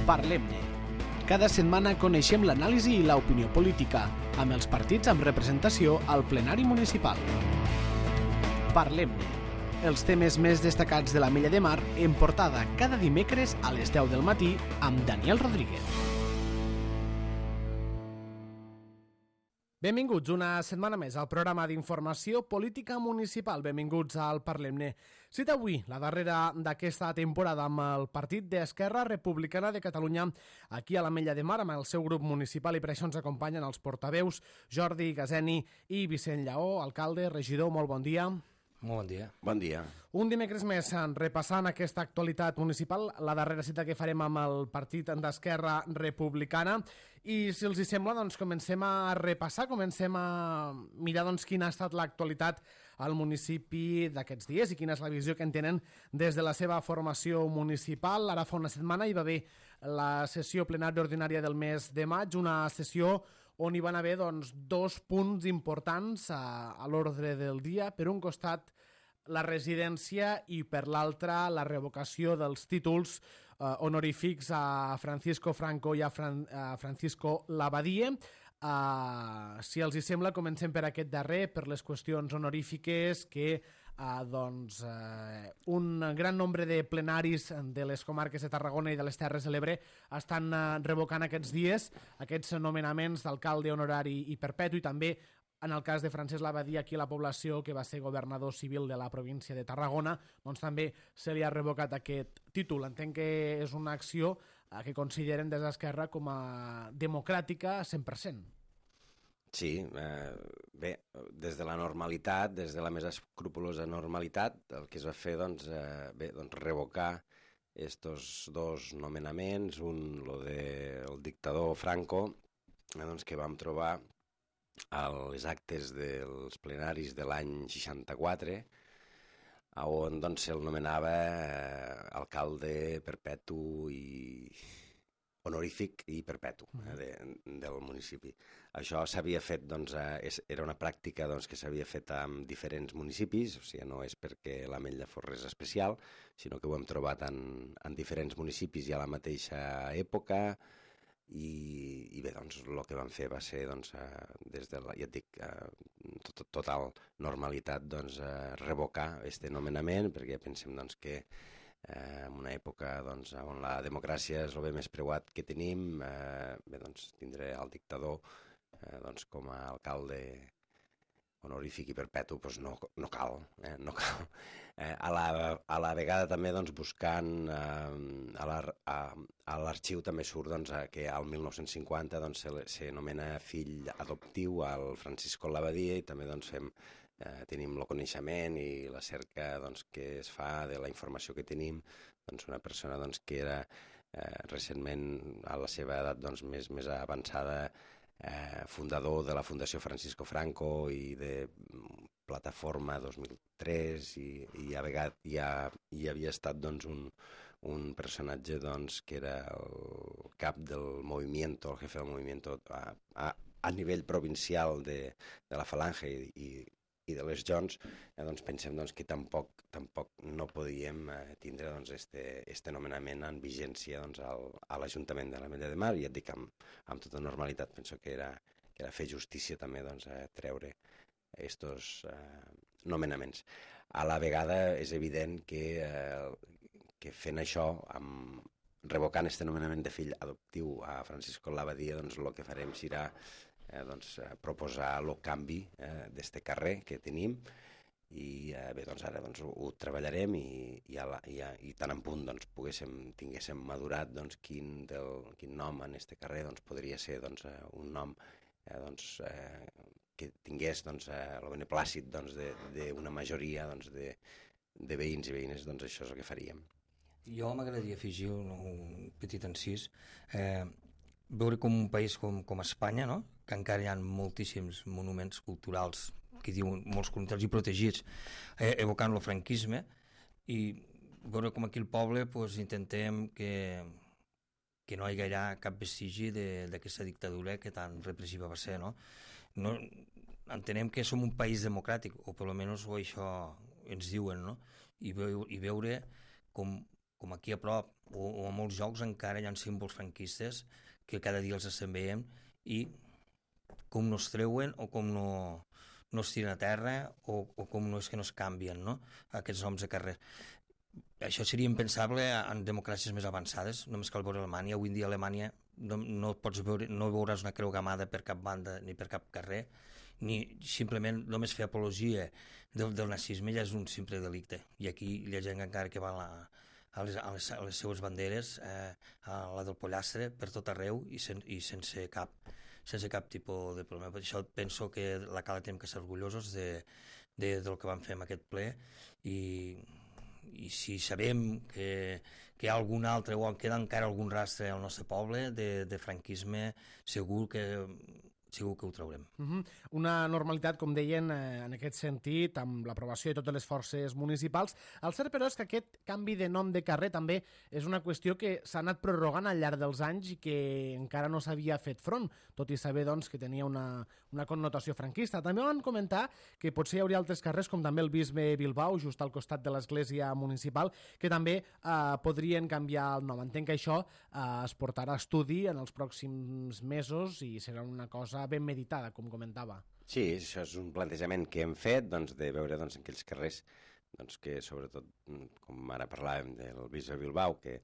Parlem-ne. Cada setmana coneixem l'anàlisi i l'opinió política, amb els partits amb representació al plenari municipal. Parlem-ne. Els temes més destacats de l'Ametlla de Mar en portada cada dimecres a les 10 del matí amb Daniel Rodríguez. Benvinguts una setmana més al programa d'informació política municipal. Benvinguts al Parlem-ne. Cita avui, la darrera d'aquesta temporada, amb el partit d'Esquerra Republicana de Catalunya aquí a l'Ametlla de Mar, amb el seu grup municipal, i per això ens acompanyen els portaveus Jordi Gazeni i Vicent Lleó, alcalde, regidor, molt bon dia. Molt bon dia. Bon dia. Un dimecres més, repassant aquesta actualitat municipal, la darrera cita que farem amb el partit d'Esquerra Republicana. I si els hi sembla, doncs comencem a repassar, comencem a mirar doncs, quina ha estat l'actualitat al municipi d'aquests dies i quina és la visió que en tenen des de la seva formació municipal. Ara fa una setmana hi va haver la sessió plenària ordinària del mes de maig, una sessió on hi van haver doncs, dos punts importants a l'ordre del dia. Per un costat, la residència i per l'altre, la revocació dels títols honorífics a Francisco Franco i a Francisco Labadie. Si els hi sembla, comencem per aquest darrer, per les qüestions honorífiques que un gran nombre de plenaris de les comarques de Tarragona i de les Terres de l'Ebre estan revocant aquests dies aquests nomenaments d'alcalde honorari i perpetu, i també en el cas de Francesc Labadie, aquí a la població, que va ser governador civil de la província de Tarragona, doncs també se li ha revocat aquest títol. Entenc que és una acció que consideren des d'Esquerra com a democràtica 100%. Sí, bé, des de la normalitat, des de la més escrupulosa normalitat, el que es va fer, doncs, revocar estos dos nomenaments, un, lo del dictador Franco, doncs, que vam trobar a les actes dels plenaris de l'any 64, on doncs, se'l nomenava alcalde perpetu i honorífic i perpetu del municipi. Això s'havia fet, doncs, era una pràctica doncs, que s'havia fet en diferents municipis, o sigui, no és perquè l'Ametlla fos res especial, sinó que ho hem trobat en diferents municipis i a la mateixa època. I bé, doncs, el que vam fer va ser, doncs, des de ja et dic, total normalitat, doncs, revocar este nomenament, perquè pensem, doncs, que en una època, doncs, on la democràcia és el bé més preuat que tenim, bé, doncs, tindré el dictador doncs, com a alcalde honorífic i perpetu, doncs no cal, no cal. A la vegada també, doncs, buscant a l'arxiu també surt, doncs, que al 1950 doncs, se nomena fill adoptiu al Francisco Labadie, i també, doncs, tenim el coneixement i la cerca, doncs, que es fa de la informació que tenim, doncs, una persona, doncs, que era recentment, a la seva edat, doncs, més avançada, fundador de la Fundació Francisco Franco i de Plataforma 2003, i a vegades hi havia estat, doncs, un personatge, doncs, que era el cap del movimiento, el jefe del movimiento a nivell provincial de la Falange i de les Joncs, doncs pensem, doncs, que tampoc no podíem tindre, doncs, este nomenament en vigència, doncs, a l'Ajuntament de l'Ametlla de Mar, i et dic amb tota normalitat. Penso que era fer justícia també, doncs, treure estos nomenaments. A la vegada és evident que fent això, revocant este nomenament de fill adoptiu a Francisco Labadie, doncs el que farem serà proposar el canvi d'este carrer que tenim, i bé, doncs ara doncs, ho treballarem, i tan en punt doncs, tinguéssim madurat, doncs, quin nom en este carrer doncs, podria ser, doncs, un nom que tingués, doncs, el beneplàcit, doncs, d'una majoria, doncs, de veïns i veïnes. Doncs això és el que faríem. Jo m'agradaria afegir un petit encís. Veure com un país com Espanya, no?, que encara hi ha moltíssims monuments culturals, que diuen molts culturals i protegits, evocant el franquisme, i veure com aquí al poble pues, intentem que no hi haurà cap vestigi d'aquesta dictadura que tan repressiva va ser, no? Entenem que som un país democràtic, o per almenys això ens diuen, no? I veure com com aquí a prop o a molts llocs encara hi ha símbols franquistes que cada dia els estem veient i com no es treuen o com no es tiren a terra o com no és que no es canvien, no? Aquests noms de carrer. Això seria impensable en democràcies més avançades, només cal veure Alemanya. Avui en dia a Alemanya no veuràs una creu gamada per cap banda ni per cap carrer, ni simplement només fer apologia del nazisme ja és un simple delicte. I aquí hi ha gent encara que va a les seues banderes, a la del pollastre, per tot arreu i sense cap tipus de problema. Per això penso que la Cala tenim que ser orgullosos del que vam fer en aquest ple i si sabem que hi ha algun altre o queda encara algun rastre al nostre poble de franquisme, segur que ho traurem. Una normalitat, com deien, en aquest sentit, amb l'aprovació de totes les forces municipals. El cert, però, és que aquest canvi de nom de carrer també és una qüestió que s'ha anat prorrogant al llarg dels anys i que encara no s'havia fet front, tot i saber doncs, que tenia una connotació franquista. També van comentar que potser hi hauria altres carrers, com també el Bisbe Bilbao, just al costat de l'església municipal, que també podrien canviar el nom. Entenc que això es portarà a estudi en els pròxims mesos i serà una cosa ben meditada, com comentava. Sí, això és un plantejament que hem fet, doncs, de veure doncs, en aquells carrers doncs, que, sobretot, com ara parlàvem del Bisbe Bilbao, que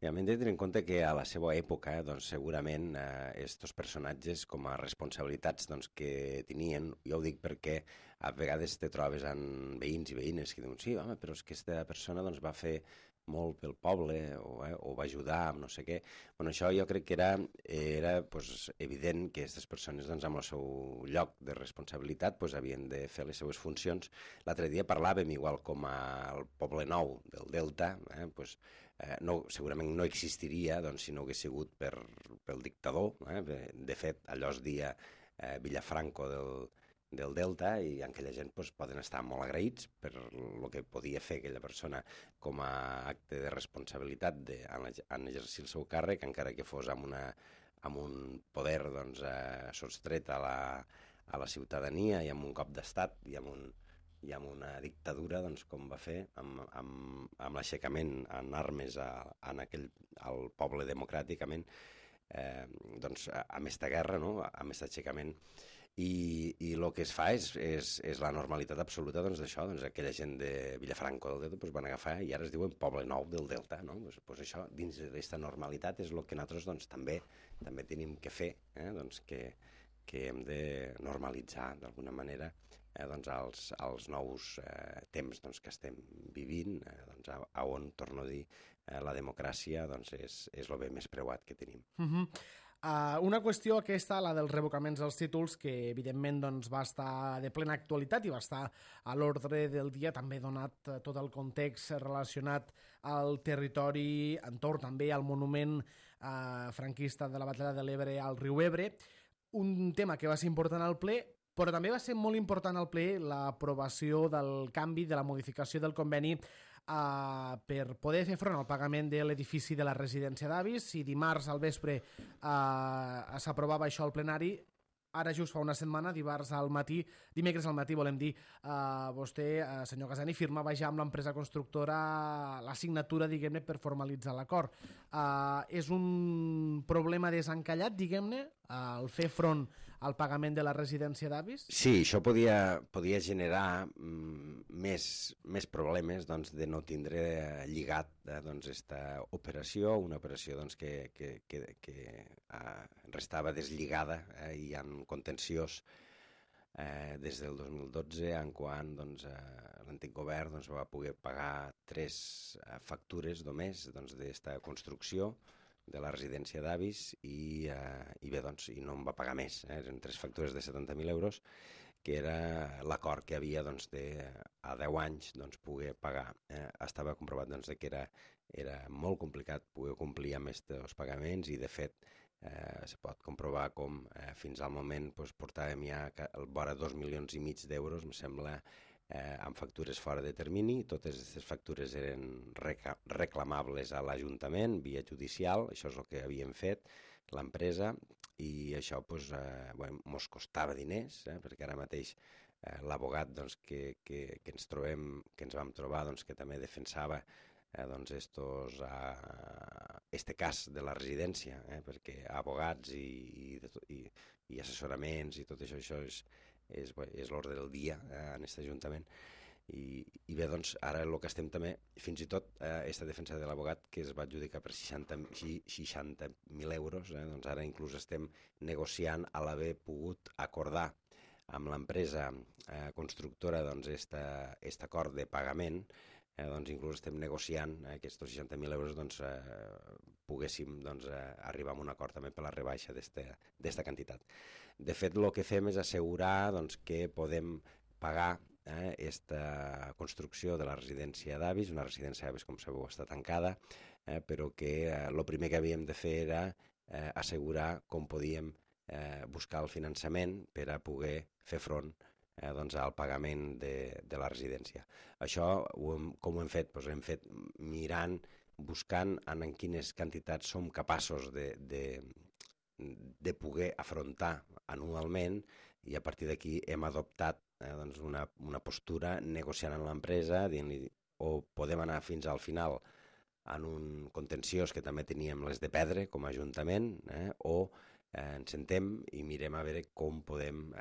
hem de tenir en compte que a la seva època doncs, segurament estos personatges com a responsabilitats doncs, que tenien, jo ho dic perquè a vegades te trobes en veïns i veïnes que diuen sí, home, però és que aquesta persona doncs, va fer molt pel poble o va ajudar amb no sé què. Bueno, això jo crec que era pues, evident que aquestes persones doncs, amb el seu lloc de responsabilitat pues, havien de fer les seues funcions. L'altre dia parlàvem, igual com al Poble Nou del Delta, pues, segurament no existiria doncs, si no hagués sigut pel dictador. De fet, allò es deia Villafranco del Delta i aquella gent pues, poden estar molt agraïts per el que podia fer aquella persona com a acte de responsabilitat en exercir el seu càrrec, encara que fos amb un poder doncs, sostret a la ciutadania i amb un cop d'estat i amb una dictadura doncs, com va fer amb l'aixecament en armes al poble democràticament doncs, amb aquesta guerra, no? Amb aquest aixecament. I el que es fa és la normalitat absoluta doncs, d'això, doncs, aquella gent de Villafranco del Delta doncs, van agafar i ara es diuen Poble Nou del Delta, no? Doncs això, dins d'aquesta normalitat, és el que nosaltres doncs, també tenim que fer, doncs, que hem de normalitzar d'alguna manera doncs, els nous temps doncs, que estem vivint, doncs, on, torno a dir, la democràcia doncs, és el bé més preuat que tenim. Una qüestió aquesta, la dels revocaments dels títols, que evidentment doncs, va estar de plena actualitat i va estar a l'ordre del dia, també donat tot el context relacionat al territori, entorn també al monument franquista de la Batalla de l'Ebre al riu Ebre. Un tema que va ser important al ple, però també va ser molt important al ple l'aprovació del canvi, de la modificació del conveni per poder fer front al pagament de l'edifici de la residència d'avis. Si dimarts al vespre s'aprovava això al plenari, ara just fa una setmana, dimecres al matí, volem dir, vostè, senyor Casani, firmava ja amb l'empresa constructora la signatura, diguem-ne, per formalitzar l'acord. És un problema desencallat, diguem-ne, el fer front al pagament de la residència d'avis? Sí, això podia generar més problemes doncs, de no tindre lligat aquesta operació, una operació doncs, que restava deslligada i en contenciós des del 2012, en quan doncs, l'antic govern doncs, va poder pagar 3 factures només d'esta construcció de la residència d'avis i bé, doncs, i no en va pagar més. Eren 3 factures de 70.000 euros, que era l'acord que havia doncs, a 10 anys doncs, poder pagar. Estava comprovat doncs, que era molt complicat poder complir amb aquests pagaments i, de fet, se pot comprovar com fins al moment doncs, portàvem ja vora 2,5 milions d'euros, em sembla, amb factures fora de termini. Totes aquestes factures eren reclamables a l'Ajuntament via judicial. Això és el que havíem fet l'empresa i això ens costava diners, perquè ara mateix l'abogat doncs, que ens vam trobar, doncs, que també defensava doncs este cas de la residència, perquè abogats i assessoraments i tot això és l'ordre del dia en aquest Ajuntament. I bé, doncs, ara el que estem també, fins i tot aquesta defensa de l'abogat que es va adjudicar per 60.000 euros, doncs ara inclús estem negociant a l'haver pogut acordar amb l'empresa constructora doncs aquest acord de pagament, doncs inclús estem negociant aquests 60.000 euros, doncs poguéssim arribar a un acord també per la rebaixa d'esta quantitat. De fet, el que fem és assegurar que podem pagar aquesta construcció de la residència d'avis, una residència d'avis, com sabeu, està tancada, però que el primer que havíem de fer era assegurar com podíem buscar el finançament per a poder fer front al pagament de la residència. Això, com ho hem fet? Doncs hem fet mirant, buscant en quines quantitats som capaços de poder afrontar anualment, i a partir d'aquí hem adoptat una postura negociant amb l'empresa, dient-li o podem anar fins al final en un contenciós que també teníem les de perdre com a Ajuntament, o ens sentem i mirem a veure com podem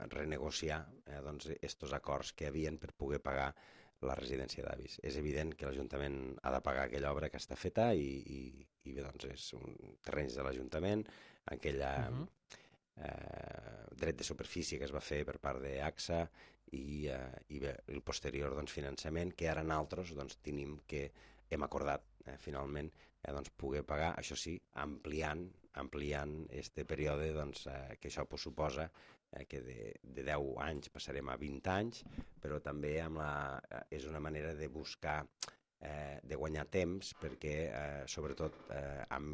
renegociar estos acords que havien per poder pagar la residència d'avis. És evident que l'Ajuntament ha de pagar aquella obra que està feta i bé, doncs és un terreny de l'Ajuntament, aquella dret de superfície que es va fer per part d'AXA i bé, el posterior finançament que ara nosaltres tenim que hem acordat finalment poder pagar, això sí, ampliant este període que això suposa que de 10 anys passarem a 20 anys, però també és una manera de buscar, de guanyar temps, perquè sobretot amb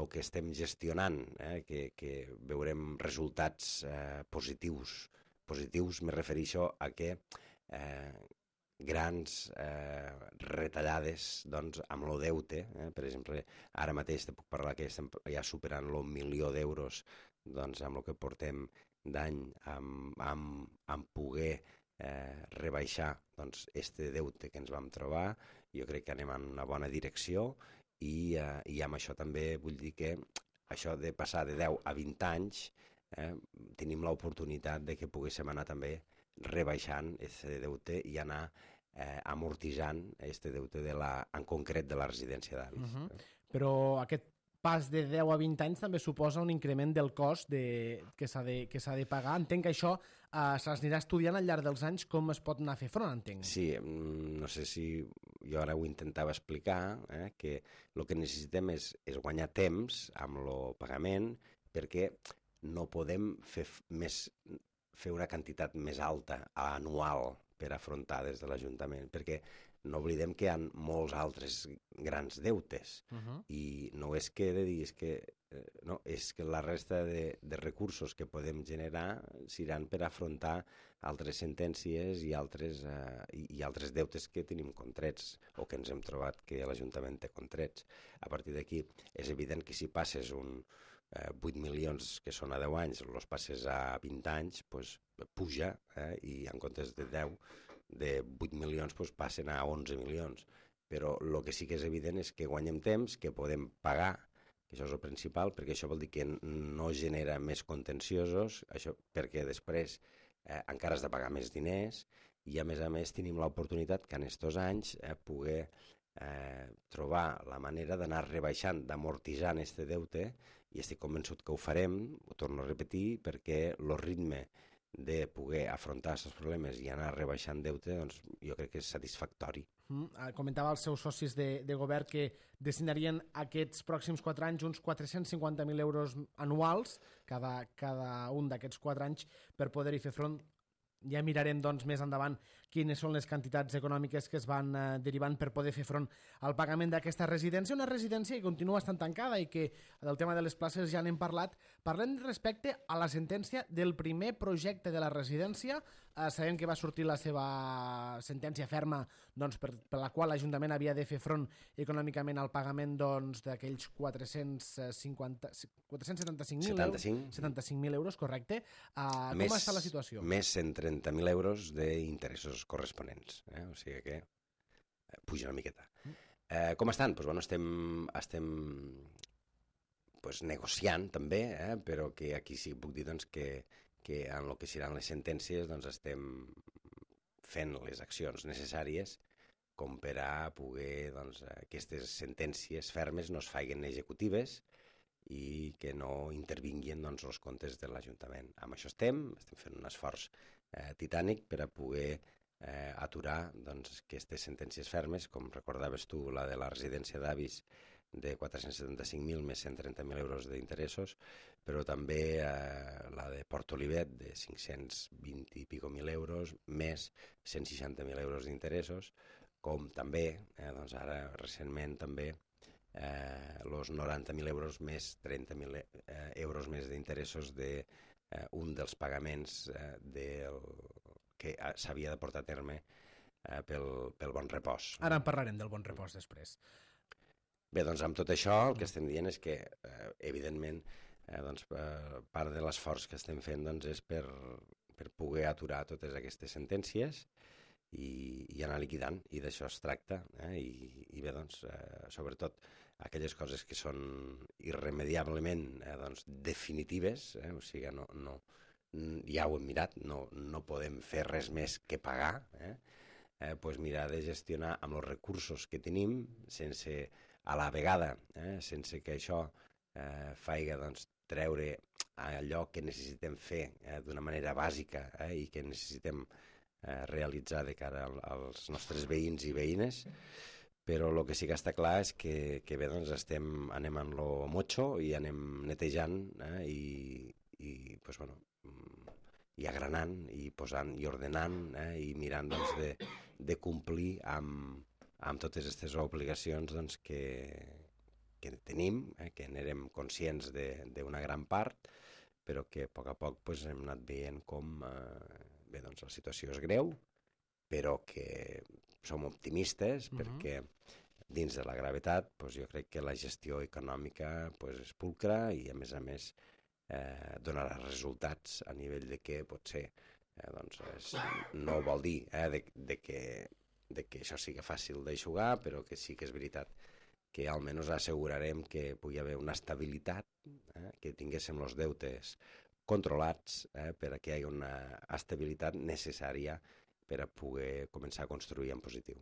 el que estem gestionant, que veurem resultats positius. Positius me refereixo a que grans retallades amb el deute, per exemple, ara mateix te puc parlar que estem ja superant el 1.000.000 d'euros amb el que portem d'any amb poder rebaixar este deute que ens vam trobar. Jo crec que anem en una bona direcció i amb això també vull dir que això de passar de 10 a 20 anys tenim l'oportunitat de que poguéssim anar també rebaixant aquest deute i anar amortitzant aquest deute en concret de la residència d'avis. Però aquest pas de 10 a 20 anys també suposa un increment del cost que s'ha de pagar. Entenc que això s'anirà estudiant al llarg dels anys com es pot anar a fer front, entenc. Sí, no sé si jo ara ho intentava explicar, que el que necessitem és guanyar temps amb el pagament, perquè no podem fer una quantitat més alta anual per afrontar des de l'Ajuntament, perquè no oblidem que hi ha molts altres grans deutes i no és que he de dir, és que la resta de recursos que podem generar seran per afrontar altres sentències i altres deutes que tenim contrets o que ens hem trobat que l'Ajuntament té contrets. A partir d'aquí és evident que si passes 8 milions que són a 10 anys, els passes a 20 anys, puja, i en comptes de 10 de 8 milions passen a 11 milions. Però el que sí que és evident és que guanyem temps, que podem pagar, que això és el principal, perquè això vol dir que no genera més contenciosos, això perquè després encara has de pagar més diners i a més tenim l'oportunitat que en aquests anys poder trobar la manera d'anar rebaixant, d'amortitzant aquest deute, i estic convençut que ho farem, ho torno a repetir, perquè el ritme de poder afrontar aquests problemes i anar rebaixant deute, doncs jo crec que és satisfactori. Comentava els seus socis de govern que destinarien aquests pròxims 4 anys uns 450.000 euros anuals, cada un d'aquests 4 anys, per poder-hi fer front. Ja mirarem doncs, més endavant quines són les quantitats econòmiques que es van derivant per poder fer front al pagament d'aquesta residència, una residència que continua estant tancada i que del tema de les places ja n'hem parlat. Parlem respecte a la sentència del primer projecte de la residència. Sabem que va sortir la seva sentència ferma per la qual l'Ajuntament havia de fer front econòmicament al pagament d'aquells 475.000 euros, correcte. Com està la situació? Més 130.000 euros d'interessos corresponents. O sigui que puja una miqueta. Com estan? Doncs, bueno, estem negociant també, però que aquí sí que puc dir doncs, que en el que seran les sentències doncs, estem fent les accions necessàries com per a poder doncs, aquestes sentències fermes no es facin executives i que no intervinguin doncs, els comptes de l'Ajuntament. Amb això estem fent un esforç titànic per a poder aturar doncs, aquestes sentències fermes, com recordaves tu, la de la residència d'avis de 475.000 més 130.000 euros d'interessos, però també la de Port Olivet de 520 i pico mil euros més 160.000 euros d'interessos, com també, doncs ara recentment també, els 90.000 euros més 30.000 euros més d'interessos d'un dels pagaments que s'havia de portar a terme pel Bon Repòs. Ara en parlarem del Bon Repòs després. Bé, doncs amb tot això el que estem dient és que, evidentment, doncs, part de l'esforç que estem fent doncs, és per poder aturar totes aquestes sentències i anar liquidant, i d'això es tracta, i bé, doncs, sobretot aquelles coses que són irremediablement doncs, definitives, o sigui, ja ho hem mirat, no podem fer res més que pagar, doncs mirar de gestionar amb els recursos que tenim, sense a la vegada, sense que això faiga doncs, treure allò que necessitem fer d'una manera bàsica i que necessitem realitzar de cara als nostres veïns i veïnes, però el que sí que està clar és que bé, doncs anem en lo motxo i anem netejant i pues, bueno, i agranant i posant i ordenant i mirant doncs, de complir amb totes aquestes obligacions doncs, que tenim, que n'érem conscients d'una gran part, però que a poc pues, hem anat veient com bé, doncs, la situació és greu, però que som optimistes perquè dins de la gravetat pues, jo crec que la gestió econòmica pues, és pulcra i a més donarà resultats a nivell de que potser doncs, no vol dir de que això sigui fàcil d'eixugar, però que sí que és veritat que almenys assegurarem que pugui haver una estabilitat, que tinguéssim els deutes controlats per a que hi hagi una estabilitat necessària per a poder començar a construir en positiu.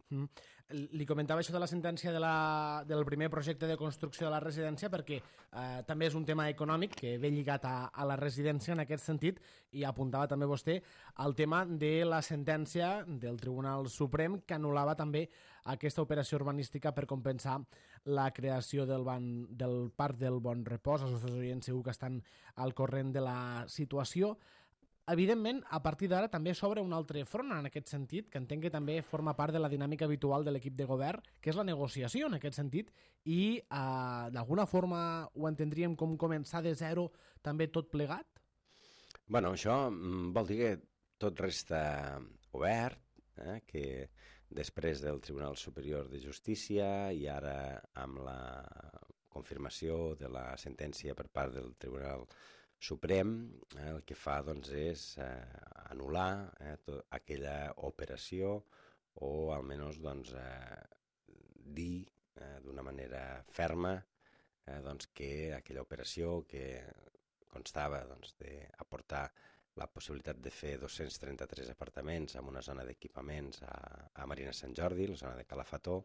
Li comentava això de la sentència del primer projecte de construcció de la residència perquè també és un tema econòmic que ve lligat a la residència en aquest sentit, i apuntava també vostè al tema de la sentència del Tribunal Suprem que anul·lava també aquesta operació urbanística per compensar la creació del Parc del Bon Repòs. Els nostres oients segur que estan al corrent de la situació. Evidentment, a partir d'ara també s'obre un altre front en aquest sentit, que entenc que també forma part de la dinàmica habitual de l'equip de govern, que és la negociació en aquest sentit, i d'alguna forma ho entendríem com començar de zero també tot plegat? Bueno, això vol dir que tot resta obert, que després del Tribunal Superior de Justícia i ara amb la confirmació de la sentència per part del Tribunal Suprem, el que fa doncs, és anul·lar aquella operació o almenys doncs, dir d'una manera ferma doncs, que aquella operació que constava doncs, d'aportar la possibilitat de fer 233 apartaments en una zona d'equipaments a Marina Sant Jordi, la zona de Calafató,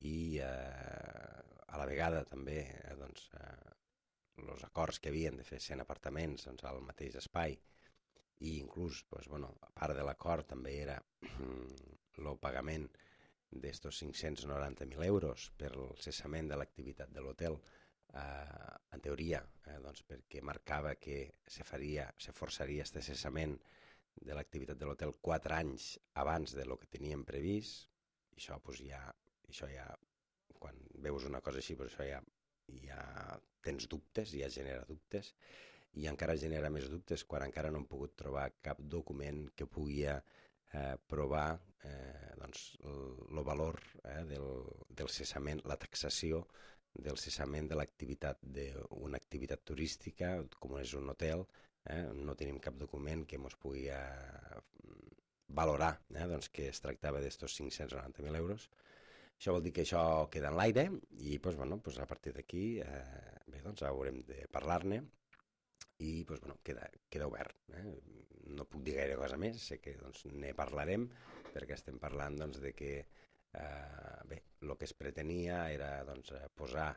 i a la vegada també doncs, els acords que havien de fer 100 apartaments doncs, al mateix espai, i inclús, doncs, bueno, a part de l'acord també era el pagament d'estos 590.000 euros per el cessament de l'activitat de l'hotel, en teoria, doncs, perquè marcava que se forçaria este cessament de l'activitat de l'hotel 4 anys abans de lo que teníem previst, i això, doncs, ja, quan veus una cosa així, doncs, això ja tens dubtes, ja genera dubtes, i encara genera més dubtes quan encara no hem pogut trobar cap document que pugui provar doncs, el valor del cessament, la taxació del cessament de l'activitat d'una activitat turística, com és un hotel. No tenim cap document que ens pugui valorar doncs, que es tractava d'estos 590.000 euros. Això vol dir que això queda en l'aire i doncs, bueno, doncs a partir d'aquí bé, doncs haurem de parlar-ne i doncs, bueno, queda obert. No puc dir gaire cosa més, sé que doncs, ne parlarem perquè estem parlant doncs, de que bé, el que es pretenia era doncs, posar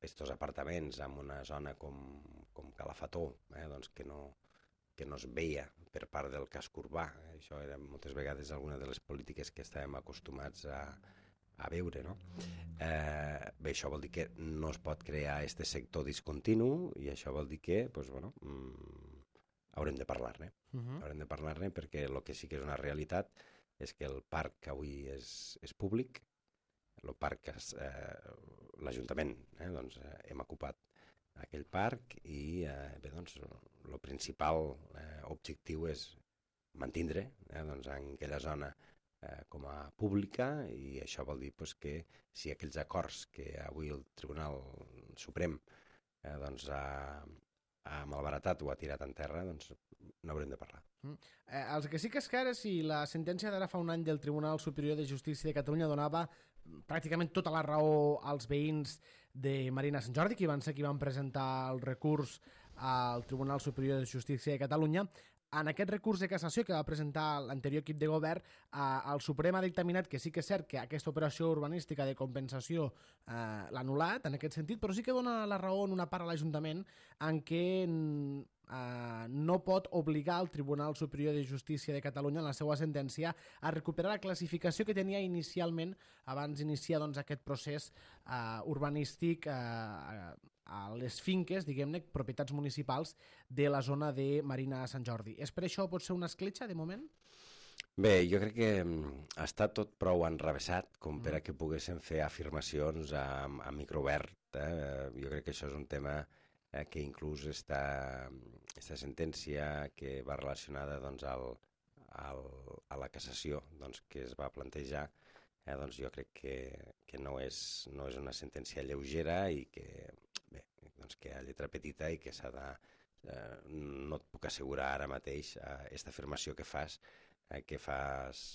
estos apartaments en una zona com Calafató, doncs, que no es veia per part del casc urbà. Això era moltes vegades alguna de les polítiques que estàvem acostumats a veure, no? Bé, això vol dir que no es pot crear aquest sector discontinu i això vol dir que, doncs, bueno, haurem de parlar-ne. Haurem de parlar-ne perquè el que sí que és una realitat és que el parc avui és públic, el parc l'Ajuntament, doncs, hem ocupat aquell parc i bé, doncs, el principal objectiu és mantindre doncs, en aquella zona com a pública i això vol dir pues, que si aquells acords que avui el Tribunal Suprem doncs, ha malbaratat o ha tirat en terra, doncs n'haurem de parlar. El que sí que és clar és si la sentència d'ara fa un any del Tribunal Superior de Justícia de Catalunya donava pràcticament tota la raó als veïns de Marina Sant Jordi, que van ser qui van presentar el recurs al Tribunal Superior de Justícia de Catalunya. En aquest recurs de cassació que va presentar l'anterior equip de govern, el Suprem ha dictaminat que sí que és cert que aquesta operació urbanística de compensació l'ha anul·lat en aquest sentit, però sí que dona la raó en una part a l'Ajuntament en què no pot obligar el Tribunal Superior de Justícia de Catalunya en la seva sentència a recuperar la classificació que tenia inicialment abans d'iniciar doncs, aquest procés urbanístic a les finques, diguem-ne, propietats municipals de la zona de Marina Sant Jordi. És per això pot ser una escletxa, de moment? Bé, jo crec que està tot prou enrevessat com per a que poguéssim fer afirmacions a microobert. Jo crec que això és un tema que inclús aquesta sentència que va relacionada doncs, a la cassació doncs, que es va plantejar, doncs jo crec que no és una sentència lleugera i que, bé, doncs que a lletra petita i que s'ha de... no et puc assegurar ara mateix aquesta afirmació que fas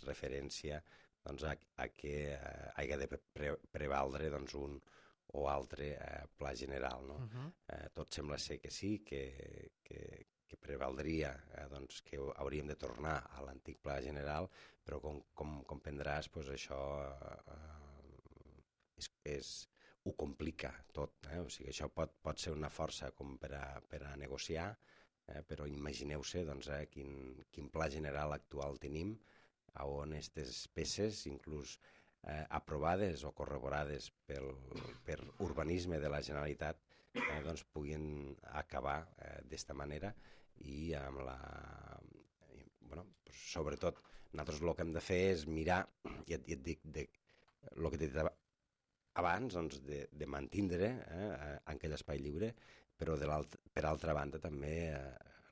referència doncs, a que hagi de prevaldre doncs, un o altre pla general. No? Tot sembla ser que sí, que prevaldria doncs, que hauríem de tornar a l'antic pla general, però com comprendràs, doncs, això ho complica tot. O sigui, això pot ser una força com per a negociar, però imagineu-se doncs, quin pla general actual tenim, on aquestes peces, inclús aprovades o corroborades per urbanisme de la Generalitat, doncs puguin acabar d'esta manera i amb la... Bueno, sobretot, nosaltres el que hem de fer és mirar, i et dic, el que t'he dit abans, doncs, de mantindre aquell espai lliure, però per altra banda també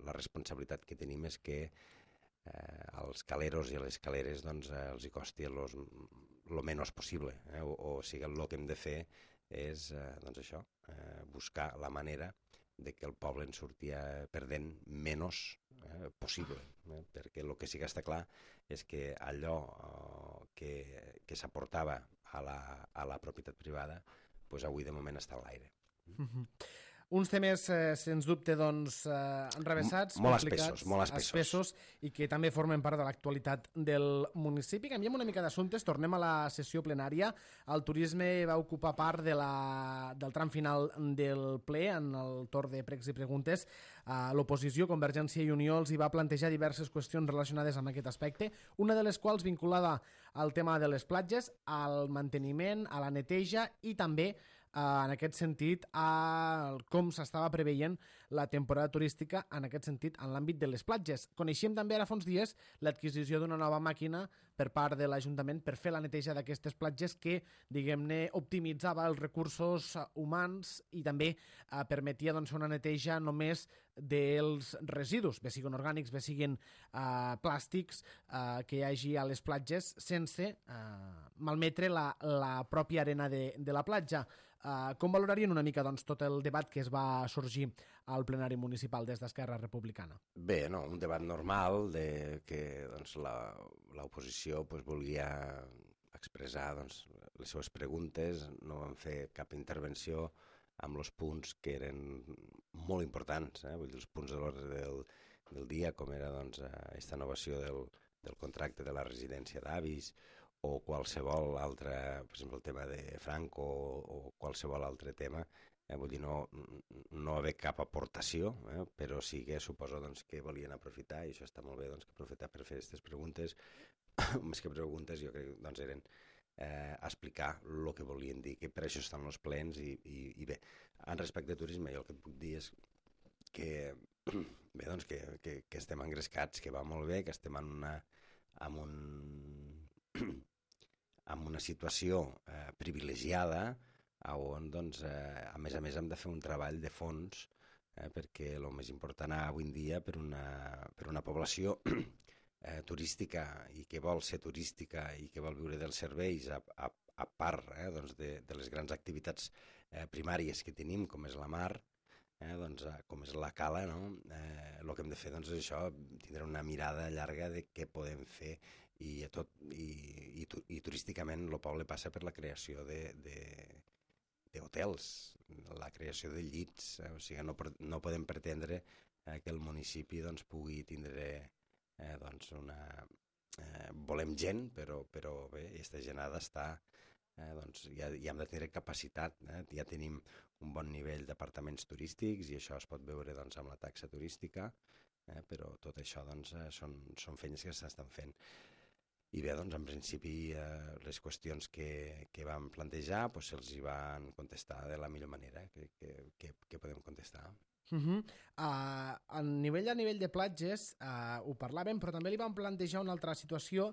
la responsabilitat que tenim és que als caleros i a les caleres doncs, els hi costi el menys possible. O sigui, el que hem de fer és doncs això, buscar la manera de que el poble en surti perdent menys possible. Perquè el que sí que està clar és que allò que s'aportava a la propietat privada doncs avui de moment està a l'aire. Uns temes, sens dubte, doncs, enrevessats, molt complicats, molt espessos, i que també formen part de l'actualitat del municipi. Canviem una mica d'assumptes, tornem a la sessió plenària. El turisme va ocupar part del tram final del ple, en el torn de pregs i preguntes. L'oposició, Convergència i Unió, els hi va plantejar diverses qüestions relacionades amb aquest aspecte, una de les quals vinculada al tema de les platges, al manteniment, a la neteja i també en aquest sentit, com s'estava preveient la temporada turística en aquest sentit en l'àmbit de les platges. Coneixíem també ara fa uns dies l'adquisició d'una nova màquina per part de l'Ajuntament per fer la neteja d'aquestes platges que, diguem-ne, optimitzava els recursos humans i també permetia doncs, una neteja només dels residus, bé siguin orgànics, bé siguin plàstics, que hi hagi a les platges sense malmetre la pròpia arena de la platja. Com valorarien una mica doncs, tot el debat que es va sorgir al plenari municipal des d'Esquerra Republicana? Bé, no, un debat normal de que doncs, l'oposició volia expressar doncs, les seves preguntes, no vam fer cap intervenció amb els punts que eren molt importants, vull dir, els punts de l'ordre del dia, com era doncs, aquesta innovació del contracte de la residència d'avis, o qualsevol altre, per exemple, el tema de Franco o qualsevol altre tema, vull dir, no haver cap aportació, però sí que suposo doncs, que volien aprofitar, i això està molt bé, doncs, que aprofitar per fer aquestes preguntes, més que preguntes, jo crec que doncs, eren explicar el que volien dir, que per això estan els plens, i bé, en respecte a turisme, jo el que et puc dir és que, bé, doncs, que estem engrescats, que va molt bé, que estem en una situació privilegiada, on, doncs, a més hem de fer un treball de fons, perquè el més important avui en dia per una població turística i que vol ser turística i que vol viure dels serveis a part doncs de les grans activitats primàries que tenim, com és la mar, doncs, com és la cala, no? El que hem de fer doncs, és això, tindre una mirada llarga de què podem fer, i turísticament el poble passa per la creació d'hotels, la creació de llits, o sigui, no podem pretendre que el municipi doncs, pugui tindre doncs volem gent, però bé, aquesta gent ha d'estar, doncs ja hem de tenir capacitat, ja tenim un bon nivell d'apartaments turístics i això es pot veure doncs, amb la taxa turística, però tot això doncs, són feines que s'estan fent. I bé, doncs, en principi, les qüestions que vam plantejar doncs, se'ls hi van contestar de la millor manera que podem contestar. A nivell de platges ho parlàvem, però també li vam plantejar una altra situació,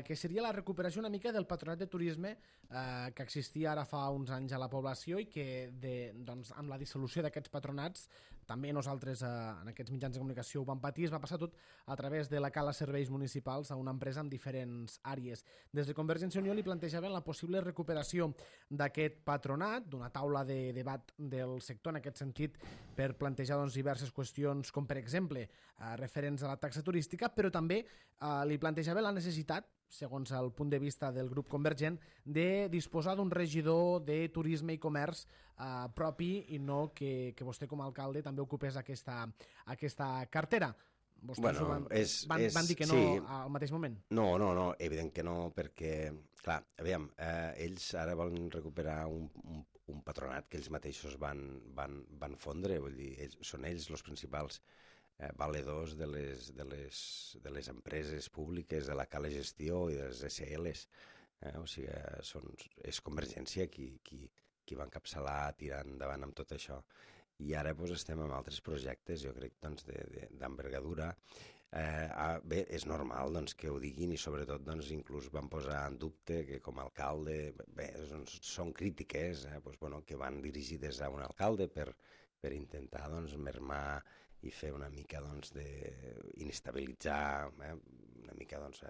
que seria la recuperació una mica del patronat de turisme que existia ara fa uns anys a la població i que doncs, amb la dissolució d'aquests patronats, també nosaltres en aquests mitjans de comunicació ho vam patir, es va passar tot a través de la cala serveis municipals a una empresa amb diferents àrees. Des de Convergència i Unió li plantejaven la possible recuperació d'aquest patronat, d'una taula de debat del sector en aquest sentit, per plantejar doncs, diverses qüestions, com per exemple referents a la taxa turística, però també li plantejava la necessitat, segons el punt de vista del grup Convergent, de disposar d'un regidor de turisme i comerç propi i no que vostè com a alcalde també ocupés aquesta cartera. Vostès van dir que no, sí, al mateix moment? No, evident que no, perquè, clar, aviam, ells ara volen recuperar un patronat que ells mateixos van fondre, vull dir, són ells els principals valedors de les empreses públiques, de la cala gestió i de les SLs. O sigui, és Convergència qui va encapçalar tirant endavant amb tot això. I ara doncs, estem amb altres projectes, jo crec, doncs, d'envergadura. Bé, és normal doncs, que ho diguin i sobretot doncs, inclús van posar en dubte que com a alcalde, bé, són crítiques doncs, bueno, que van dirigides a un alcalde per intentar doncs, mermar i fer una mica doncs, d'inestabilitzar, una mica doncs,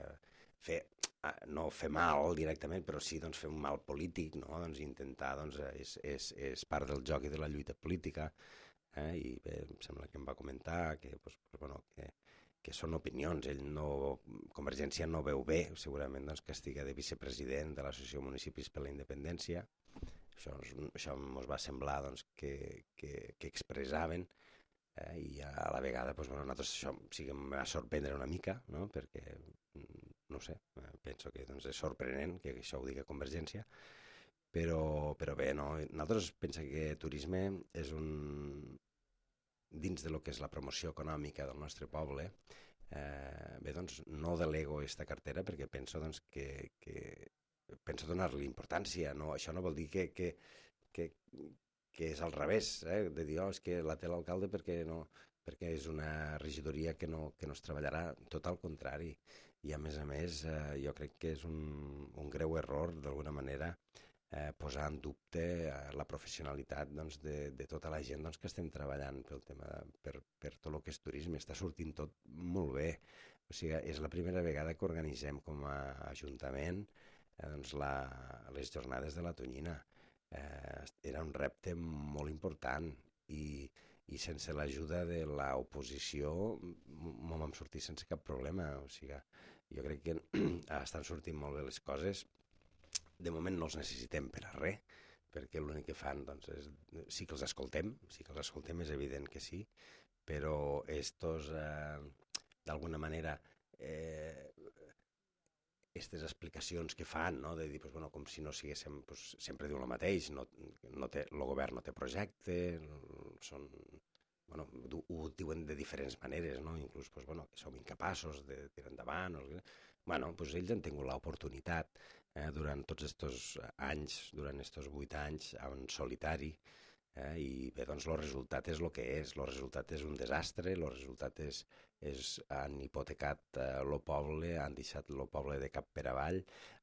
no fer mal directament, però sí doncs, fer un mal polític, no? Doncs, intentar, doncs, és part del joc i de la lluita política, i bé, em sembla que em va comentar que, doncs, bueno, que són opinions, Convergència no veu bé, segurament, doncs, que estigui de vicepresident de l'Associació de Municipis per la Independència. Això ens va semblar doncs, que expressaven, i a la vegada doncs, bueno, nosaltres això sí que em va sorprendre una mica, no? Perquè, no sé, penso que doncs, és sorprenent que això ho digui Convergència, però bé, no? Nosaltres pensem que turisme és dins de lo que és la promoció econòmica del nostre poble, bé, doncs no delego aquesta cartera perquè penso doncs, que penso donar-li importància, no? Això no vol dir que és al revés, de dir, és que la té l'alcalde perquè és una regidoria que no es treballarà, tot al contrari. I a més, jo crec que és un greu error, d'alguna manera, posar en dubte la professionalitat doncs, de tota la gent doncs, que estem treballant pel tema, per tot el que és turisme. Està sortint tot molt bé. O sigui, és la primera vegada que organitzem com a Ajuntament doncs, les jornades de la Tonyina. Era un repte molt important i sense l'ajuda de l'oposició m'ho vam sortir sense cap problema. O sigui, jo crec que estan sortint molt bé les coses de moment no els necessitem per a res, perquè l'únic que fan doncs, sí que els escoltem, és evident que sí, però estos, d'alguna manera, aquestes explicacions que fan, no? De dir, pues, bueno, com si no siguéssim, pues, sempre diu el mateix, el govern no té projecte, són, bueno, ho diuen de diferents maneres, no? Inclús pues, bueno, que som incapaços de tirar endavant. Bueno, pues, ells han tingut l'oportunitat durant tots aquests anys, durant aquests 8 anys, en solitari, i bé, doncs el resultat és el que és, el resultat és un desastre, el resultat han hipotecat el poble, han deixat el poble de cap per avall,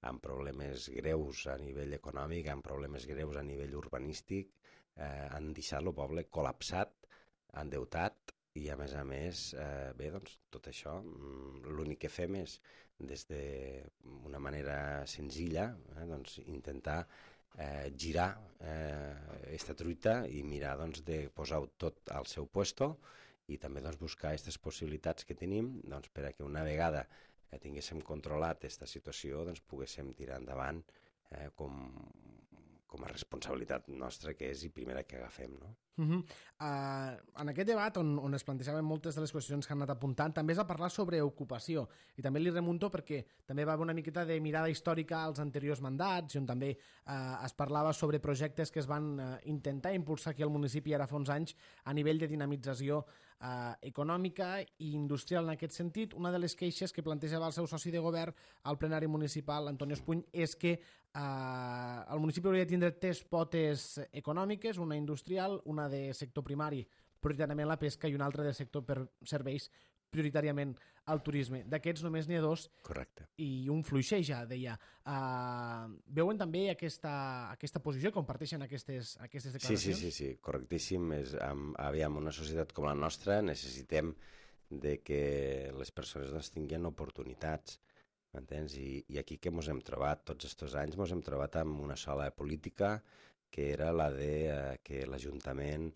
amb problemes greus a nivell econòmic, amb problemes greus a nivell urbanístic, han deixat el poble col·lapsat, endeutat, i a més, bé, doncs tot això, l'únic que fem és, des d'una manera senzilla, doncs intentar girar aquesta truita i mirar doncs, de posar-ho tot al seu puesto i també doncs, buscar aquestes possibilitats que tenim doncs, per a que una vegada tinguéssim controlat aquesta situació doncs, poguéssim tirar endavant com a responsabilitat nostra que és i primera que agafem, no? En aquest debat on es plantejaven moltes de les qüestions que han anat apuntant també és a parlar sobre ocupació i també li remunto perquè també va haver una miqueta de mirada històrica als anteriors mandats i on també es parlava sobre projectes que es van intentar impulsar aquí al municipi ara fa uns anys a nivell de dinamització econòmica i industrial en aquest sentit. Una de les queixes que plantejava el seu soci de govern al plenari municipal, Antonio Espuny, és que el municipi hauria de tindre 3 potes econòmiques, una industrial, una de sector primari, prioritàriament la pesca, i una altra del sector per serveis, prioritàriament al turisme. D'aquests només n'hi ha 2. Correcte. I un fluixeja, deia. Veuen també aquesta posició, comparteixen aquestes declaracions? Sí, correctíssim. Aviam, una societat com la nostra necessitem de que les persones doncs, tinguin oportunitats, m'entens? I aquí que ens hem trobat, tots aquests anys ens hem trobat amb una sola política que era la de que l'Ajuntament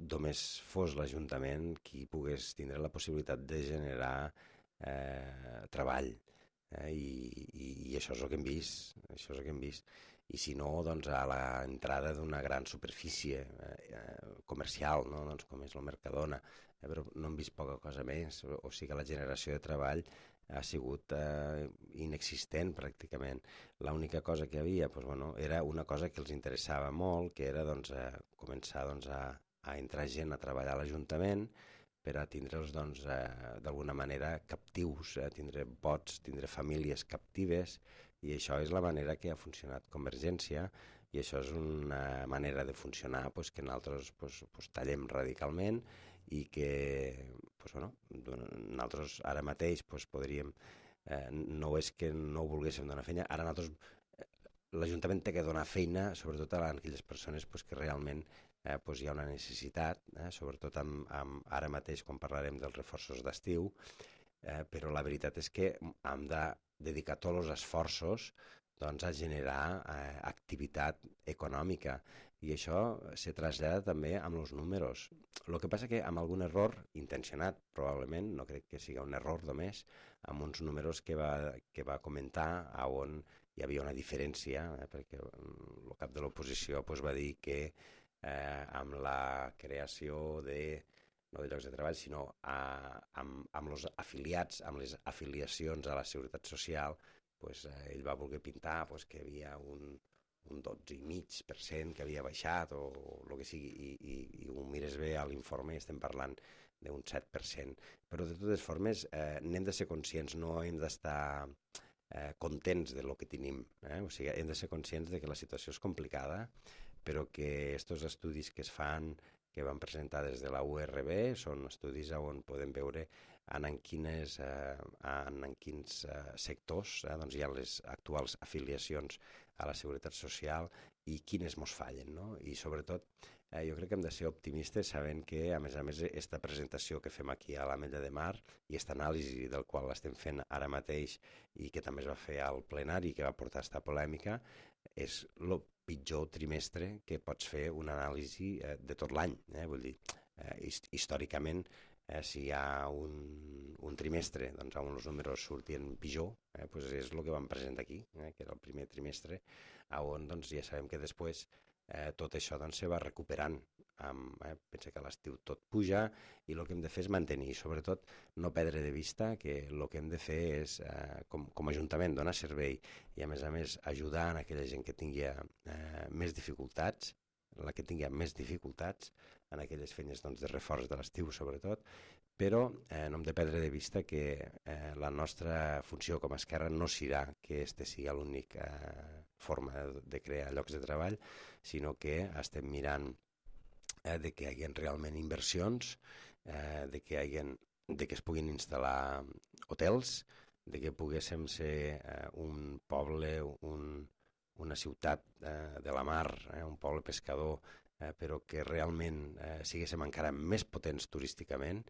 només fos l'Ajuntament qui pogués tindre la possibilitat de generar treball. I això és el que hem vist. I si no, doncs a l'entrada d'una gran superfície comercial, no? Doncs com és el Mercadona, però no hem vist poca cosa més. O sigui que la generació de treball ha sigut inexistent pràcticament. L'única cosa que hi havia doncs, bueno, era una cosa que els interessava molt, que era doncs, començar doncs, a entrar gent a treballar a l'Ajuntament per a tindre'ls doncs, d'alguna manera captius, tindre vots, tindre famílies captives, i això és la manera que ha funcionat Convergència, i això és una manera de funcionar doncs, que nosaltres doncs, tallem radicalment i que doncs, bueno, nosaltres ara mateix doncs, podríem, no és que no volguéssim donar feina, ara nosaltres l'Ajuntament té que donar feina sobretot a aquelles persones doncs, que realment doncs, hi ha una necessitat, sobretot ara mateix quan parlarem dels reforços d'estiu, però la veritat és que hem de dedicar tots els esforços doncs, a generar activitat econòmica, i això se trasllada també amb els números. El que passa que amb algun error intencionat, probablement, no crec que sigui un error només, amb uns números que va comentar on hi havia una diferència, perquè el cap de l'oposició doncs, va dir que amb la creació no de llocs de treball, sinó amb els afiliats, amb les afiliacions a la Seguretat Social, pues, ell va voler pintar pues, que hi havia un 12,5% que havia baixat o el que sigui, i ho mires bé a l'informe i estem parlant d'un 7%. Però de totes formes n'hem de ser conscients, no hem d'estar contents de lo que tenim. O sigui, hem de ser conscients de que la situació és complicada, però que aquests estudis que es fan, que van presentar des de la URB, són estudis on podem veure en quins sectors doncs hi ha les actuals afiliacions a la Seguretat Social i quines mos fallen, no? I sobretot jo crec que hem de ser optimistes sabent que, a més, aquesta presentació que fem aquí a l'Ametlla de Mar i aquesta anàlisi del qual l'estem fent ara mateix i que també es va fer al plenari que va portar aquesta polèmica, és el pitjor trimestre que pots fer una anàlisi de tot l'any. Vull dir, històricament si hi ha un trimestre doncs, on els números sortien pitjor, doncs és el que vam presentar aquí, que era el primer trimestre, on doncs, ja sabem que després tot això doncs, se va recuperant. Pensa que a l'estiu tot puja i el que hem de fer és mantenir, sobretot no perdre de vista que el que hem de fer és, com a Ajuntament, donar servei i a més ajudar a aquella gent que tingui més dificultats, la que tingui més dificultats en aquelles feines doncs, de reforç de l'estiu sobretot, però no hem de perdre de vista que la nostra funció com a Esquerra no serà que aquesta sigui l'única forma de crear llocs de treball, sinó que estem mirant de que hi hagi realment inversions, de que es puguin instal·lar hotels, de que poguéssim ser un poble, una ciutat de la mar, un poble pescador, però que realment siguéssim encara més potents turísticament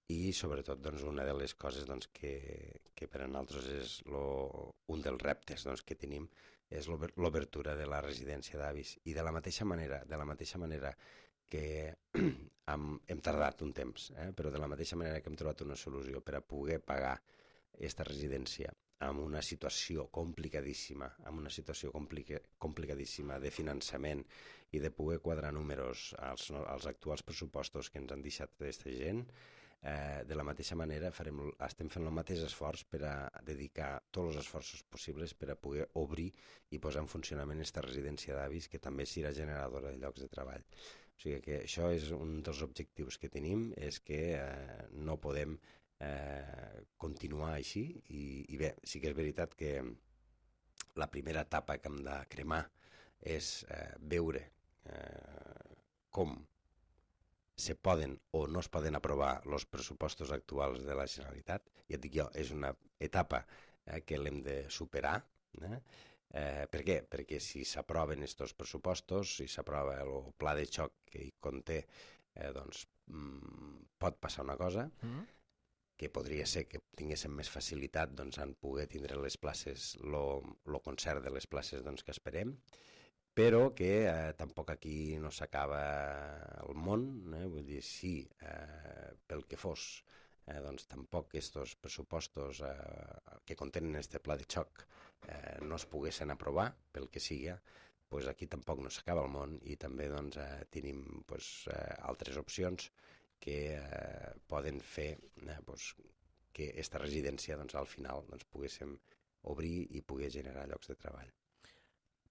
i sobretot doncs, una de les coses doncs, que per a nosaltres és un dels reptes doncs, que tenim és l'obertura de la residència d'avis i de la mateixa manera que hem tardat un temps, però de la mateixa manera que hem trobat una solució per a poder pagar aquesta residència amb una situació complicadíssima, complicadíssima de finançament i de poder quadrar números als actuals pressupostos que ens han deixat aquesta gent, de la mateixa manera estem fent el mateix esforç per a dedicar tots els esforços possibles per a poder obrir i posar en funcionament aquesta residència d'avis que també serà generadora de llocs de treball. O sigui que això és un dels objectius que tenim, és que no podem continuar així i bé, sí que és veritat que la primera etapa que hem de cremar és veure com se poden o no es poden aprovar els pressupostos actuals de la Generalitat. Ja et dic jo, és una etapa que l'hem de superar. Per què? Perquè si s'aproven aquests pressupostos, si s'aprova el pla de xoc que hi conté, doncs pot passar una cosa, que podria ser que tinguéssim més facilitat doncs, en poder tindre les places, el concert de les places doncs, que esperem, però que tampoc aquí no s'acaba el món, vull dir, sí, pel que fos, doncs tampoc aquests pressupostos que contenen aquest pla de xoc no es poguessin aprovar, pel que sigui, doncs aquí tampoc no s'acaba el món i també doncs, tenim altres opcions que poden fer que aquesta residència doncs, al final doncs, poguéssim obrir i poder generar llocs de treball.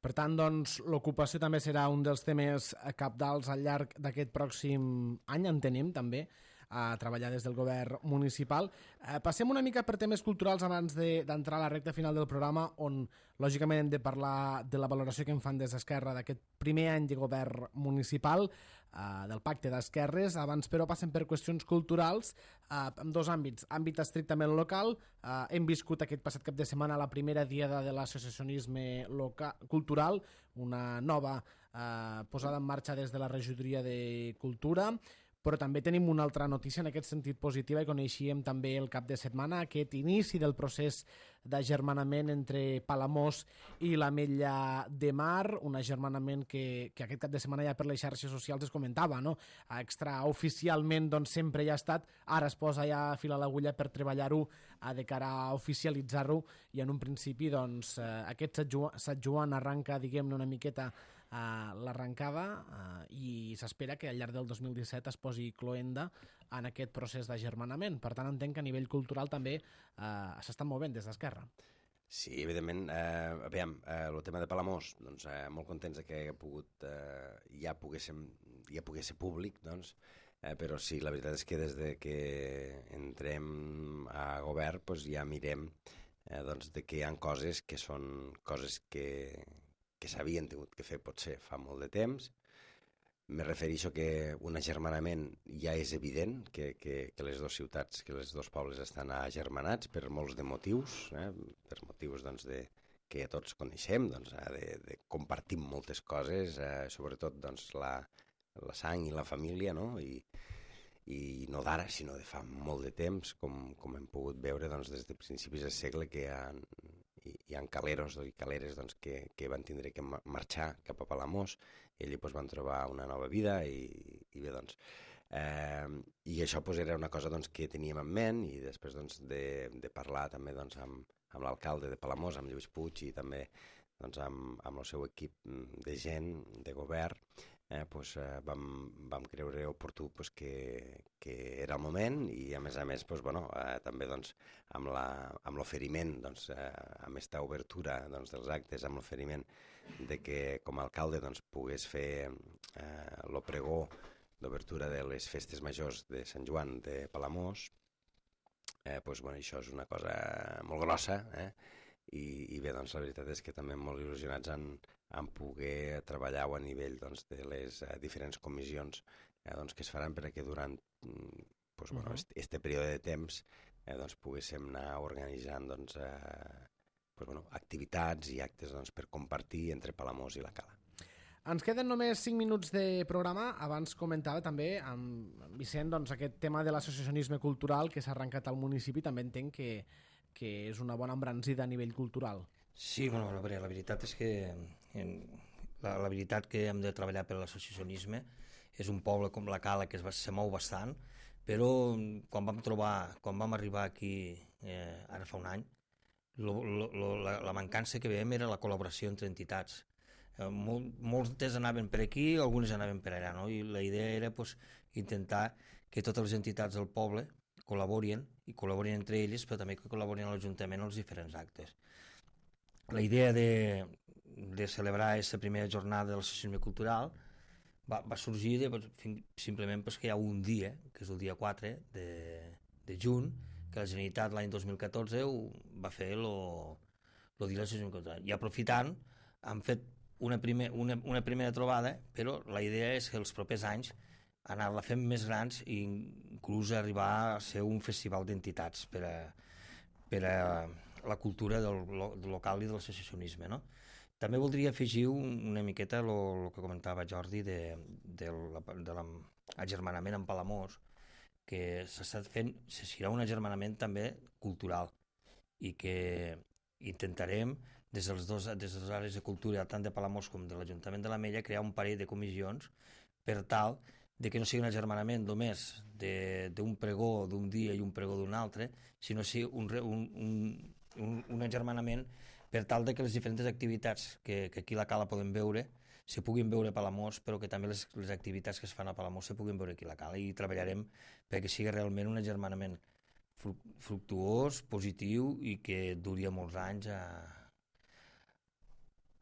Per tant, doncs, l'ocupació també serà un dels temes cabdals al llarg d'aquest pròxim any, entenem, també, a treballar des del govern municipal. Passem una mica per temes culturals abans d'entrar a la recta final del programa, on, lògicament, hem de parlar de la valoració que en fan des d'Esquerra d'aquest primer any de govern municipal, del pacte d'esquerres. Abans, però, passem per qüestions culturals en dos àmbits. Àmbit estrictament local. Hem viscut aquest passat cap de setmana la primera diada de l'associacionisme cultural, una nova posada en marxa des de la regidoria de Cultura, però també tenim una altra notícia en aquest sentit positiva i coneixíem també el cap de setmana aquest inici del procés d'agermanament entre Palamós i l'Ametlla de Mar, un agermanament que aquest cap de setmana ja per les xarxes socials es comentava, no? Extraoficialment doncs sempre ja ha estat, ara es posa ja a fil a l'agulla per treballar-ho de cara a oficialitzar-ho i en un principi doncs aquest Sant Joan arranca, diguem-ne, una miqueta l'arrencada i s'espera que al llarg del 2017 es posi cloenda en aquest procés d'agermanament. Per tant, entenc que a nivell cultural també s'estan movent des d'Esquerra. Sí, evidentment. Aviam, el tema de Palamós, doncs, molt contents que ja pogués ser públic, doncs, però sí, la veritat és que des de que entrem a govern doncs ja mirem doncs, que hi ha coses que són coses que s'havien tingut que fer potser fa molt de temps. Me refereixo que un agermanament ja és evident que les dues ciutats, que els dos pobles estan agermanats per molts de motius, per motius doncs, que tots coneixem, doncs, de compartir moltes coses, sobretot doncs, la sang i la família, no? I no d'ara, sinó de fa molt de temps, com hem pogut veure doncs, des de principis del segle que hi ha caleros i caleres doncs, que van tindre que marxar cap a Palamós i allí doncs, van trobar una nova vida i bé, doncs, I això doncs, era una cosa doncs, que teníem en ment, i després doncs, de parlar també doncs, amb l'alcalde de Palamós, amb Lluís Puig, i també doncs, amb el seu equip de gent, de govern, doncs, vam creure oportú doncs, que era el moment, i a més doncs, bueno, també doncs, amb l'oferiment, doncs, amb aquesta obertura doncs, dels actes, amb l'oferiment de que com a alcalde doncs, pogués fer el pregó d'obertura de les festes majors de Sant Joan de Palamós, doncs, bueno, això és una cosa molt grossa, i bé, doncs, la veritat és que també molt il·lusionats en poder treballar a nivell doncs, de les diferents comissions doncs, que es faran perquè durant doncs, bueno, este període de temps doncs, poguéssim anar organitzant doncs, doncs, bueno, activitats i actes doncs, per compartir entre Palamós i la Cala. Ens queden només 5 minuts de programa. Abans comentava també amb Vicent doncs, aquest tema de l'associacionisme cultural que s'ha arrencat al municipi. També entenc que és una bona embranzida a nivell cultural. Sí, bueno, la veritat és que la veritat que hem de treballar per l'associacionisme és un poble com la Cala que se mou bastant, però quan vam arribar aquí ara fa un any, la mancança que veiem era la col·laboració entre entitats. Moltes anaven per aquí, algunes anaven per allà, no? I la idea era pues, intentar que totes les entitats del poble col·laborin entre elles, però també que col·laborin a l'Ajuntament en els diferents actes. La idea de celebrar aquesta primera jornada de l'associacionisme cultural va sorgir simplement perquè hi ha un dia, que és el dia 4 de juny, que la Generalitat l'any 2014 va fer el dia de l'associacionisme cultural. I aprofitant, han fet una primera trobada, però la idea és que els propers anys anar-la fent més grans i inclús arribar a ser un festival d'entitats per a la cultura del local i de l'associacionisme, no? També voldria afegir una miqueta el que comentava Jordi de l'agermanament amb Palamós, que serà un agermanament també cultural i que intentarem des de les àrees de cultura tant de Palamós com de l'Ajuntament de l'Ametlla crear un parell de comissions per tal de que no sigui un agermanament només d'un pregó d'un dia i un pregó d'un altre, sinó sigui un agermanament per tal de que les diferents activitats que aquí a la Cala podem veure se puguin veure a Palamós, però que també les activitats que es fan a Palamós se puguin veure aquí a la Cala, i treballarem perquè sigui realment un agermanament fructuós, positiu i que duri molts anys a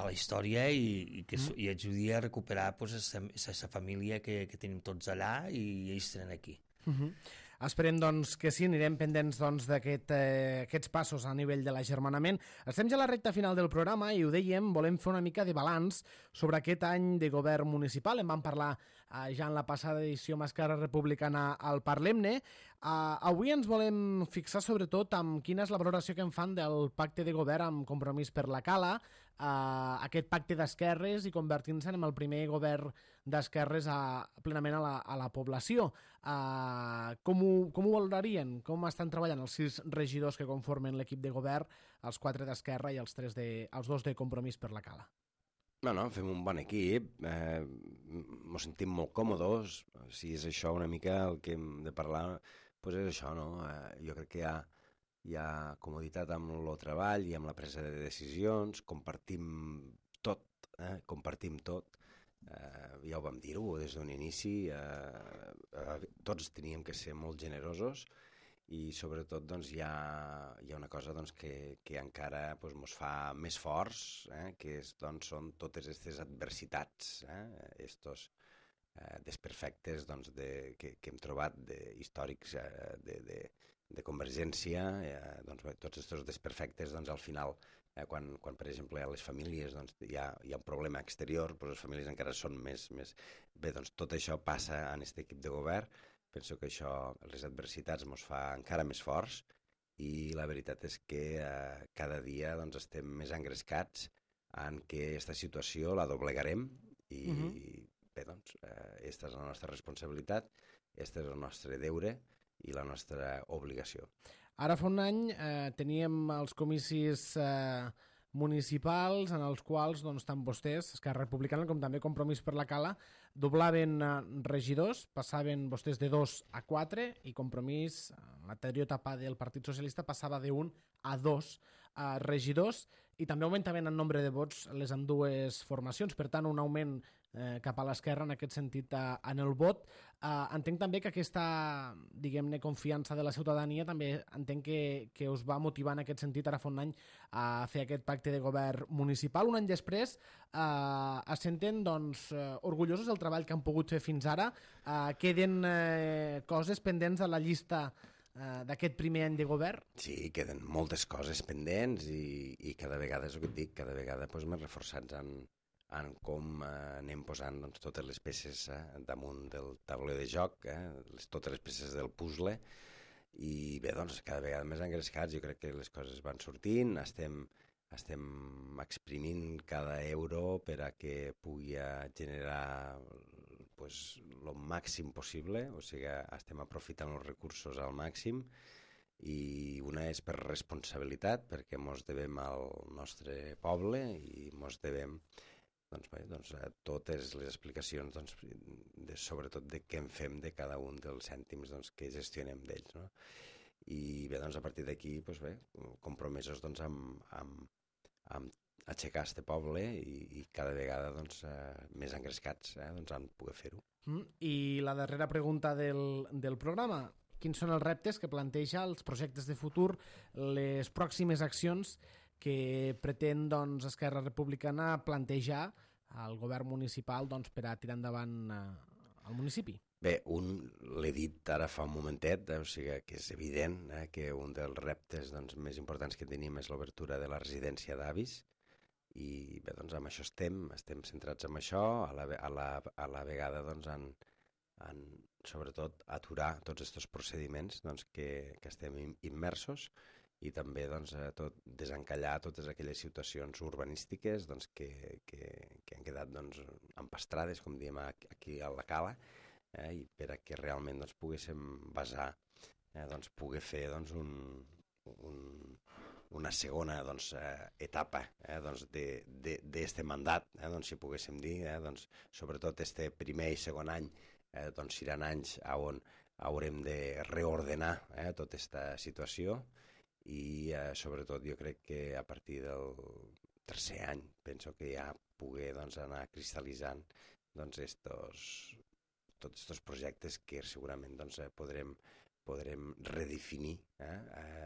la història i ajudi a recuperar aquesta família que tenim tots allà i ells tenen aquí. Esperem doncs, que sí, anirem pendents doncs, d'aquests passos a nivell de l'agermanament. Estem ja a la recta final del programa i ho dèiem, volem fer una mica de balanç sobre aquest any de govern municipal. En vam parlar ja en la passada edició amb Esquerra Republicana al Parlem-ne. Avui ens volem fixar sobretot en quina és la valoració que en fan del pacte de govern amb Compromís per la Cala, aquest pacte d'esquerres i convertint-se en el primer govern d'esquerres plenament a la població. Com ho valorarien? Com estan treballant els 6 regidors que conformen l'equip de govern, els 4 d'Esquerra i els 2 de Compromís per la Cala? No, fem un bon equip, ens sentim molt còmodes, si és això una mica el que hem de parlar, doncs és això, no? Jo crec que hi ha comoditat amb el treball i amb la presa de decisions, compartim tot, ja ho vam dir-ho des d'un inici, tots teníem que ser molt generosos i sobretot doncs, hi ha una cosa doncs, que encara doncs, ens fa més forts, que són totes aquestes adversitats, estos desperfectes doncs, que hem trobat històrics de Convergència, doncs, tots aquests desperfectes doncs, al final, quan per exemple a les famílies doncs, hi ha un problema exterior, però les famílies encara són més... Bé, doncs tot això passa en aquest equip de govern. Penso que això, les adversitats ens fa encara més forts i la veritat és que cada dia doncs, estem més engrescats en que aquesta situació la doblegarem i bé, doncs, aquesta és la nostra responsabilitat, aquest és el nostre deure i la nostra obligació. Ara fa un any teníem els comicis municipals en els quals doncs, tant vostès, Esquerra Republicana, com també Compromís per la Cala, doblaven regidors, passaven vostès de 2 a 4 i Compromís, en l'anterior etapa del Partit Socialista, passava de 1 a 2 regidors i també augmentaven en nombre de vots les ambdues formacions, per tant un augment cap a l'esquerra en aquest sentit en el vot. Entenc també que aquesta, diguem-ne, confiança de la ciutadania també entenc que us va motivar en aquest sentit ara fa un any a fer aquest pacte de govern municipal. Un any després es senten doncs, orgullosos del treball que han pogut fer fins ara. Queden coses pendents a la llista d'aquest primer any de govern? Sí, queden moltes coses pendents i cada vegada, és el que et dic, cada vegada doncs, més reforçats en com anem posant doncs, totes les peces damunt del tauler de joc, totes les peces del puzzle, i bé, doncs, cada vegada més engrescats. Jo crec que les coses van sortint, estem exprimint cada euro per a que pugui generar pues, lo màxim possible, o sigui, estem aprofitant els recursos al màxim, i una és per responsabilitat, perquè mos devem al nostre poble i mos devem totes les explicacions, sobretot de què en fem de cada un dels cèntims que gestionem d'ells. No? I bé, a partir d'aquí, compromesos amb aixecar este poble i cada vegada més engrescats en poder fer-ho. I la darrera pregunta del programa. Quins són els reptes que planteja, els projectes de futur, les pròximes accions que pretén Esquerra Republicana plantejar al govern municipal per a tirar endavant el municipi? Bé, l'he dit ara fa un momentet, o sigui que és evident que un dels reptes més importants que tenim és l'obertura de la residència d'avis, i bé, amb això estem centrats en això, a la vegada en sobretot aturar tots aquests procediments que estem immersos, i també desencallar totes aquelles situacions urbanístiques que han quedat empastrades, com diem aquí a la Cala, i per a que realment poguéssim basar, poder fer una segona etapa d'este mandat, si poguéssim dir, sobretot este primer i segon any seran anys on haurem de reordenar tota aquesta situació, i sobretot jo crec que a partir del tercer any penso que ja poder anar cristal·litzant tots aquests projectes que segurament podrem redefinir,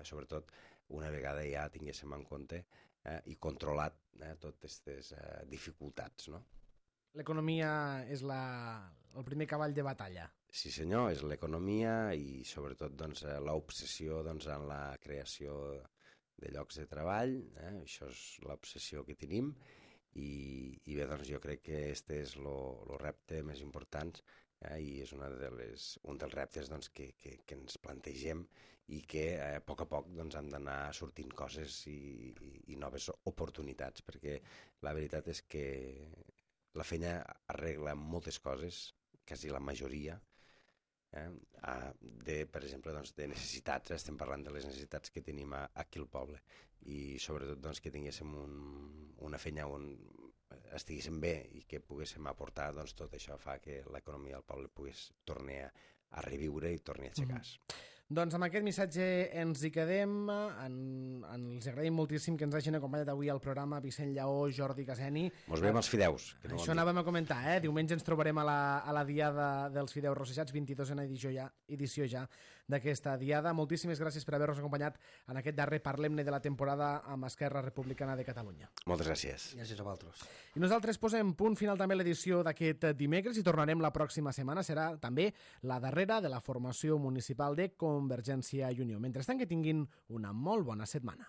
sobretot una vegada ja tinguéssim en compte i controlat totes aquestes dificultats, no? L'economia és el primer cavall de batalla. Sí senyor, és l'economia i sobretot l'obsessió en la creació de llocs de treball, això és l'obsessió que tenim, i bé, jo crec que aquest és el repte més important i és un dels reptes que ens plantegem i que a poc han d'anar sortint coses i noves oportunitats, perquè la veritat és que la feina arregla moltes coses, quasi la majoria, per exemple, de necessitats. Estem parlant de les necessitats que tenim aquí al poble i sobretot que tinguéssim una feina on estiguéssim bé i que poguéssim aportar, tot això fa que l'economia del poble pogués tornar a reviure i torni a aixecar-se. Doncs amb aquest missatge ens hi quedem. Els agraïm moltíssim que ens hagin acompanyat avui al programa Vicent Lleó, Jordi Caseni. Mos veiem als fideus. Això anàvem a comentar, Diumenge ens trobarem a la diada dels fideus rossejats, 22a edició ja d'aquesta diada. Moltíssimes gràcies per haver-nos acompanyat en aquest darrer Parlem-ne de la temporada amb Esquerra Republicana de Catalunya. Moltes gràcies. Gràcies a vosaltres. I nosaltres posem punt final també a l'edició d'aquest dimecres i tornarem la pròxima setmana. Serà també la darrera de la formació municipal de Convergència i Unió. Mentrestant, que tinguin una molt bona setmana.